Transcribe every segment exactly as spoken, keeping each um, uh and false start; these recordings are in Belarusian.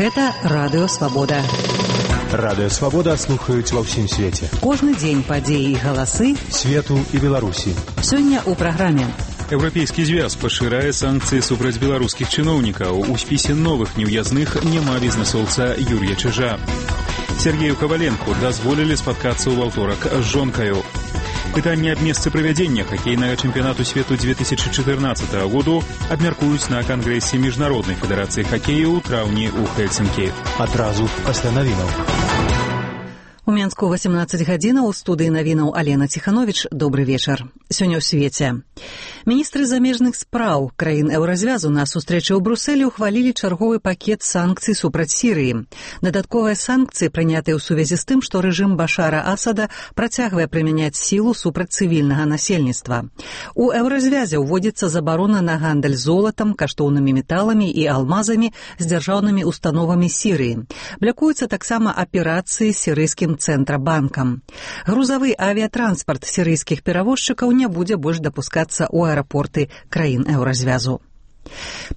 Гэта Радыё Свабода. Радыё Свабода слухаюць ва ўсім свеце. Кожны дзень падзеі і галасы свету і Беларусі. Сёння ў праграме. Еўрапейскі звяз пашырае санкцыі супраць беларускіх чыноўнікаў. У спісе новых неўязных няма бізнэсоўца Юрія Чижа. Сергею Коваленку дазволілі спаткацца ў аўторак з жонкаю. Пытанне аб месцы правядзення хакейнага чэмпіянату свету две тысячи чатырнаццатага году абмяркуюць на кангрэсе міжнароднай федэрацыі хакею ў траўні ў Хельсінкі. Адразу пасля навінаў. У Менску восемнадцаць гадзінаў, у студыі навінаў Алена Ціхановіч. Добры вечар. Сёння ў свеце. Міністры замежных спраў краін еўразвязу на сустрэчы ў Брусэлі ухвалілі чарговы пакет санкцый супраць Сірыі. Дадатковыя санкцыі прынятыя ў сувязі з тым, што рэжым Башара Асада працягвае прымяняць сілу супраць цывільнага насельніцтва. У еўразвязе ўводзіцца забарона на гандаль золатам, каштоўнымі металамі і алмазамі з дзяржаўнымі установамі Сірыі. Блякуюцца таксама аперацыі сірыйскім цэнтрабанкам. Грузавы авіятранспарт сірыйскіх перавозчыкаў не будзе больш дапускацца ў аэрапорты краін еўразвязу.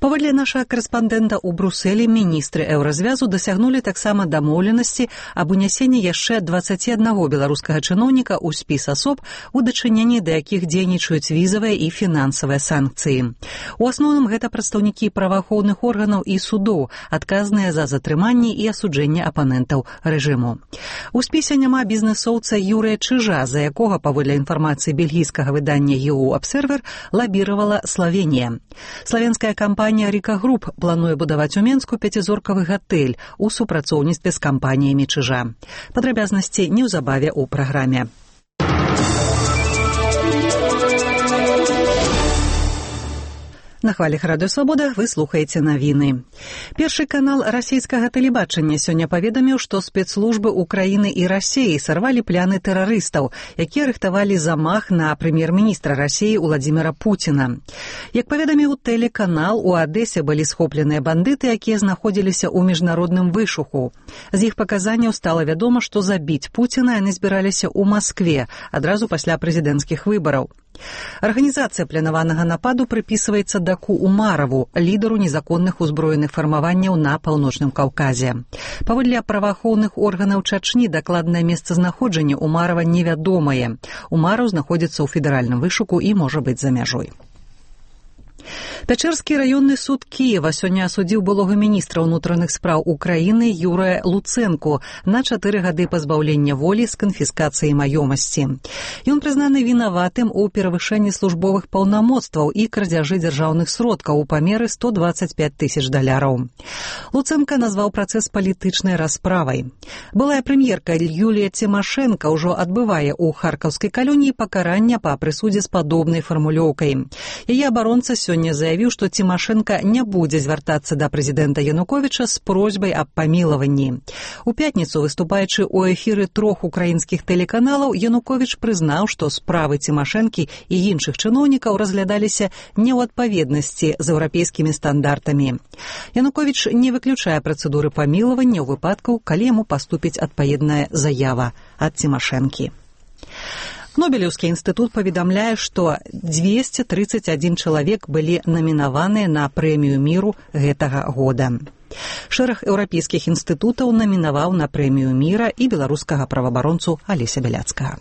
Паводле нашага карэспандэнта ў Брусэлі, міністры еўразвязу дасягнулі таксама дамоўленасці аб унясенні яшчэ дваццаці аднаго беларускага чыноўніка ў спіс асоб, у дачыненні да якіх дзейнічаюць візавыя і фінансавыя санкцыі. У асноўным гэта прадстаўнікі праваахоўных органаў і судоў, адказныя за затрыманні і асуджэнне апанентаў рэжыму. У спісе няма бізнэсоўца Юрыя Чижа, за якога, паводле інфармацыі бельгійскага выдання «Е У Обсервер», лабіравала Славенія. Славенская кампанія «Рика Груп» плануе будаваць у Менску пяцізоркавы гатэль у супрацоўніцтве з кампаніямі Чижа. Падрабязнасці неўзабаве ў праграме. На хвалях Радыё Свабода вы слухаеце навіны. Першы канал расійскага тэлебачання сёння паведаміў, што спецслужбы Украіны і Расіі сарвалі пляны тэрарыстаў, якія рыхтавалі замах на прэм'ер-міністра Расіі Уладзіміра Пуціна. Як паведаміў тэлеканал, у Адэсе былі схопленыя бандыты, якія знаходзіліся ў міжнародным вышуху. З іх паказанняў стала вядома, што забіць Пуціна яны збіраліся ў Маскве адразу пасля прэзідэнцкіх выбараў. Арганізацыя планаванага нападу прыпісваецца Даку Умараву, лідару незаконных узброеных фармаванняў на Паўночным Каўказе. Паводле праваахоўных органаў Чачні дакладнае месцазнаходжанне Умарава невядомае. Умараў знаходзіцца ў федэральным вышуку і можа быць за мяжой. Пячэрскі раённы суд Кіева сёння асудзіў былога міністра ўнутраных спраў Украіны Юрыя Луцэнку на чатыры гады пазбаўлення волі з канфіскацыяй маёмасці. Ён прызнаны вінаватым у перавышэнні службовых паўнамоцтваў і крадзяжы дзяржаўных сродкаў у памеры сто дваццаць пяць тысяч даляраў. Луцэнка назваў працэс палітычнай расправай. Былая прэм'ерка Юлія Цімашэнка ўжо адбывае ў харкаўскай калоніі пакарання па прысудзе з падобнай фармулёўкай. Яе абаронца сёння заявіў, што Цімашэнка не будзе звяртацца да прэзідэнта Януковіча з просьбай аб памілаванні. У пятніцу, выступаючы ў эфіры трох украінскіх тэлеканалаў, Януковіч прызнаў, што справы Цімашэнкі і іншых чыноўнікаў разглядаліся не ў адпаведнасці з еўрапейскімі стандартамі. Януковіч не выключае працэдуры памілавання ў выпадку, калі яму паступіць адпаведная заява ад Цімашэнкі. Нобелеўскі інстытут паведамляе, што дзвесце трыццаць адзін чалавек былі намінаваныя на прэмію міру гэтага года. Шэраг еўрапейскіх інстытутаў намінаваў на прэмію міра і беларускага праваабаронцу Алеся Бяляцкага.